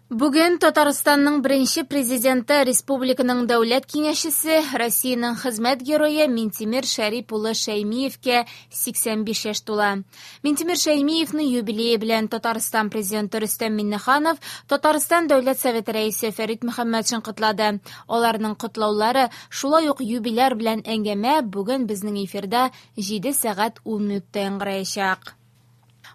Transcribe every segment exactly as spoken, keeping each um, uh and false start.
Бүген Татарстанның беренче президенты, республиканың дәүләт киңәшчесе, Россиянең хезмәт герое Минтимер Шәрип улы Шәймиевкә сиксән биш яшь тула. Минтимер Шәймиевны юбилее белән Татарстан президенты Рөстәм Миңнеханов, Татарстан Дәүләт Советы рәисе Фәрит Мөхәммәтшин котлады. Аларның котлаулары, шулай ук юбиляр белән әңгәмә бүген безнең эфирда җиде сәгать ун минутта яңгыраячак.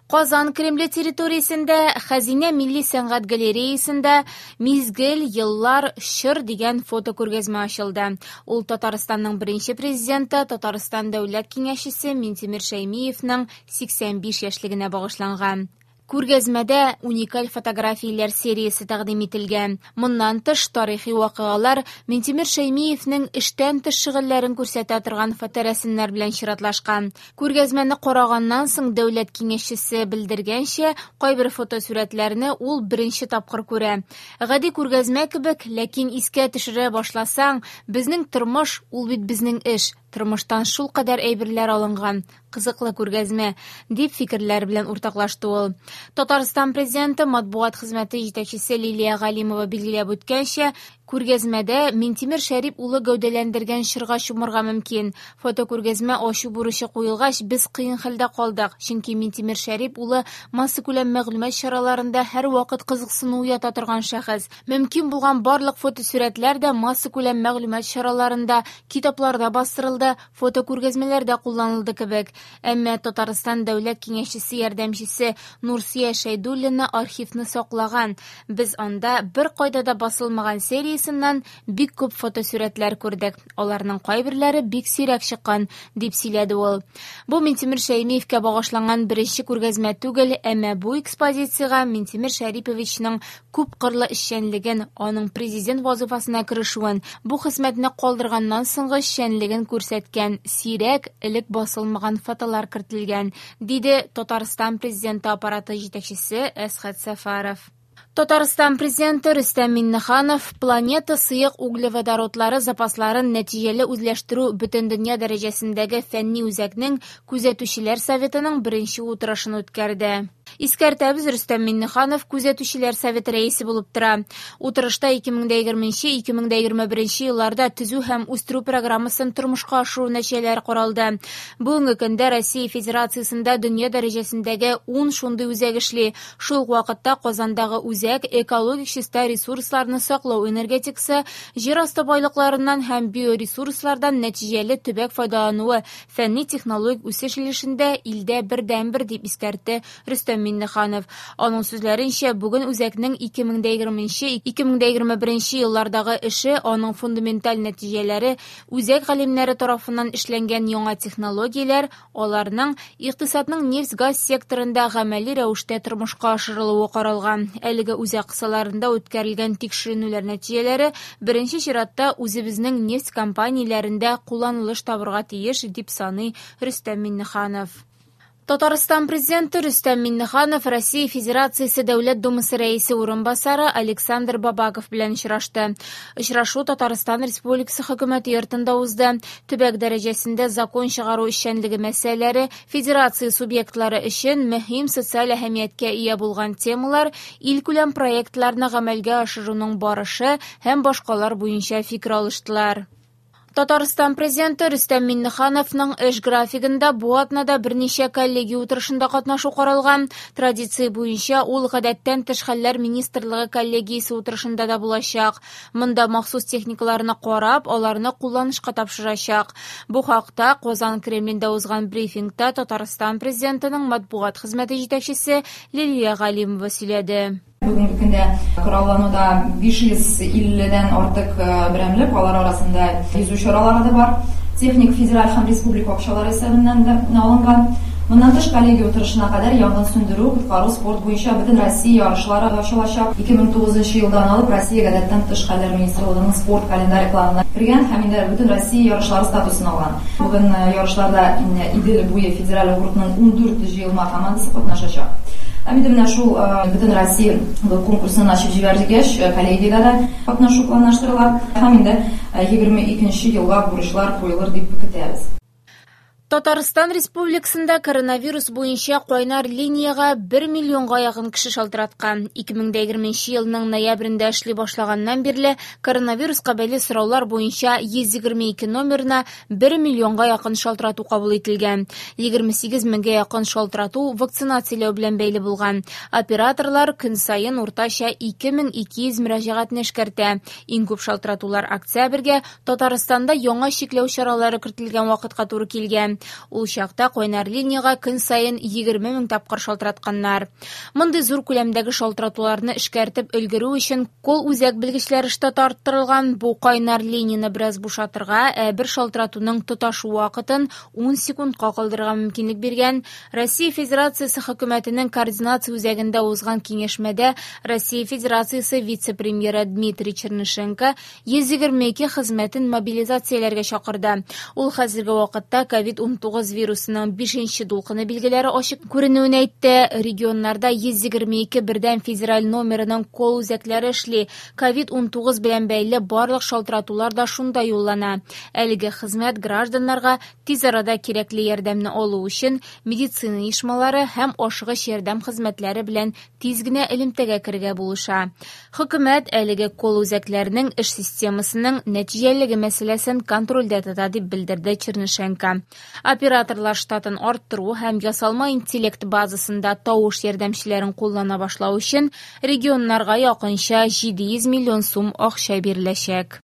Казан Кремле территориясендә Хәзинә милли сәнгать галереясында Мизгел, еллар, чор дигән фотокүргәзмә ачылды. Ул Татарстанның беренче президенты, Татарстан Дәүләт Киңәшчесе Минтимер Шәймиевның сиксән биш яшьлегенә багышланган. Күргәзмәдә уникаль фотографияләр сериясе тәкъдим ителгән. Моннан тыш тарихи вакыйгалар Минтимер Шәймиевнең эштән тыш шөгыльләрен күрсәтә торган фоторәсемнәр белән чиратлашкан. Күргәзмәне караганнан соң дәүләт киңәшчесе белдергәнчә, кайбер фотосурәтләрне ул беренче тапкыр күрә. Гади күргәзмә кебек, ләкин искә төшерә башласаң, безнең тормыш ул бит безнең эш. Тормыштан шул кадәр әйберләр алынган, кызыклы күргәзмә, дип фикерләр белән уртаклашты ул. Татарстан президенты матбугат хезмәте җитәкчесе Лилия Галимова билгеләп үткәнчә, күргәзмәдә Минтимер Шәрип улы гәүдәләндергән чорга чумырга мөмкин. Фотокүргәзмә ачу бурычы куелгач, без кыен хәлдә калдык, чөнки Минтимер Шәрип улы массакүләм мәгълүмат чараларында һәрвакыт кызыксыну уята торган шәхес. Мөмкин булган барлык фотосурәтләр дә массакүләм мәгълүмат чараларында, китапларда бастырылды, фотокүргәзмәләрдә кулланылды кебек. Әмма Татарстан Дәүләт Киңәшчесе ярдәмчесе Нурсия Шәйдуллина архивны саклаган. Без анда бер кайда да басылмаган сериясеннән бик күп фотосурәтләр күрдек. Аларның кайберләре бик сирәк чыккан, дип сөйләде ул. Бу Минтимер Шәймиевкә багышланган беренче күргәзмә түгел, әмма бу экспозициягә Минтимер Шәриповичның күпкырлы эшчәнлеген, аның президент вазифасына керешүен, бу хезмәтне калдырганнан соңгы эшчәнлеген күрсәткән сирәк, элек басылмаган фотолар кертелгән, диде Татарстан президенты аппараты җитәкчесе Әсхәт Сәфәров. Татарстан президенты Рөстәм Миңнеханов планета сыек углеводородлары запасларын нәтиҗәле үзләштерү бөтендөнья дәрәҗәсендәге фәнни үзәкнең күзәтүчеләр советының беренче утырышын үткәрде. Искәртәбез, Рөстәм Миңнеханов күзәтүчеләр советы рәисе булып тора. Утырышта ике мең дә егерменче, ике мең дә егерме беренче елларда төзү һәм үстерү программасын тормышка ашыру нәтиҗәләре каралды. Бүгенге көндә Россия Федерациясендә дөнья дәрәҗәсендәге ун шундый үзәк эшли. Шул ук вакытта Казандагы үзәк экологик чиста ресурсларны саклау энергетикасы, җир асты байлыкларыннан һәм биоресурслардан нәтиҗәле төбәк файдалануы, фәнни технологик үсеш өлешендә илдә бердәнбер, дип искәртте Рөстәм Миңнеханов. Аның сүзләренчә, бүген үзәкнең ике мең дә егерменче, ике мең дә егерме беренче еллардагы эше, аның фундаменталь нәтиҗәләре, үзәк галимнәре тарафыннан эшләнгән яңа технологияләр, аларның икътисадның нефть-газ секторында гамәли рәвештә тормышка ашырылуы каралган. Әлеге үзәк кысаларында үткәрелгән тикшеренүләр нәтиҗәләре беренче чиратта үзебезнең нефть компанияләрендә кулланылыш табырга тиеш, дип саный Рөстәм Миңнеханов. Татарстан президенты Рөстәм Миңнеханов Россия Федерациясе Дәүләт Думасы рәисе урынбасары Александр Бабаков белән очрашты. Очрашу Татарстан Республикасы хөкүмәте йортында узды. Төбәк дәрәҗәсендә закон чыгару эшчәнлеге мәсьәләләре, федерация субъектлары өчен мөһим социаль әһәмияткә ия булган темалар, илкүләм проектларны гамәлгә ашыруның барышы һәм башкалар буенча фикер алыштылар. Татарстан президенты Рөстәм Миңнехановның эш графигында бу атнада берничә коллегия утырышында катнашу каралган. Традиция буенча ул гадәттән тыш хәлләр министрлыгы коллегиясе утырышында да булачак. Монда махсус техникаларны карап, аларны кулланышка тапшырачак. Бу хакта Казан Кремлендә узган брифингта Татарстан президентының матбугат хезмәте җитәкчесе Лилия Галимова сөйләде. Бүгенге көндә кораллануда биш йөз илледән артык берәмлек, алар арасында йөзү чаралары да бар. Техник федераль һәм республика акчалары исәбеннән дә алынган. Моннан тыш коллегия утырышына кадәр янгын сүндерү, коткару, спорт буенча бөтен Россия ярышлары ачылачак. Ике мең тугызынчы елдан алып Россия гадәттән тыш хәлләр министрлыгының спорт календаре планына кергән һәм инде бөтен Россия ярышлары статусын алган. Бүген ярышларда Идел буе федераль округының ун дүрт җыелма командасы катнашачак. Һәм инде менә шул бөтен Россия конкурсын ачып җибәргәч, коллегиядә дә катнашу планлаштырыла. Һәм инде егерме икенче елга бурычлар куелыр дип көтәбез. Татарстан Республикасында коронавирус буенча кайнар линиягә бер миллионга якын кеше шалтыраткан. ике мең егерменче елның ноябрендә эшли башлаганнан бирле коронавируска бәйле сораулар буенча йөз егерме ике номерына бер миллионга якын шалтырату кабул ителгән. егерме сигез меңгә якын шалтырату вакцинацияләү белән бәйле булган. Операторлар көн саен уртача ике мең ике йөз мөрәҗәгатьне эшкәртә. Иң күп шалтыратулар октябрьгә Татарстанда яңа чикләү чаралары кертелгән вакытка туры килгән. Ул чакта кайнар линиягә көн саен егерме мең тапкыр шалтыратканнар. Мондый зур күләмдәге шалтыратуларны эшкәртеп өлгерү өчен кол үзәк белгечләре штаты арттырылган. Бу кайнар линияне бераз бушатырга, ә бер шалтыратуның тоташу вакытын ун секундка калдырырга мөмкинлек биргән. Россия Федерациясе хөкүмәтенең координация үзәгендә узган киңәшмәдә Россия Федерациясе вице-премьеры Дмитрий Чернышенко йөз егерме ике хезмәтен мобилизацияләргә чакырды. Ул хәзерге вакытта ковид ун тугыз вирусының бишенче дулкыны билгеләре ачык күренүен әйтте. Регионнарда йөз егерме ике бердәм федераль номерының кол үзәкләре эшли. ковид ун тугыз белән бәйле барлык шалтыратулар да шунда юллана. Әлеге хезмәт гражданнарга тиз арада кирәкле ярдәмне алу өчен медицина оешмалары һәм ашыгыч ярдәм хезмәтләре белән тиз генә элемтәгә керергә булыша. Хөкүмәт әлеге кол үзәкләренең эш системасының нәтиҗәлелеге мәсьәләсен контрольдә тота, дип белдерде Чернышенко. Операторлар штатын арттыру һәм ясалма интеллект базасында тавыш ярдәмчеләрен куллана башлау өчен регионнарга якынча җиде йөз миллион сум акча биреләчәк.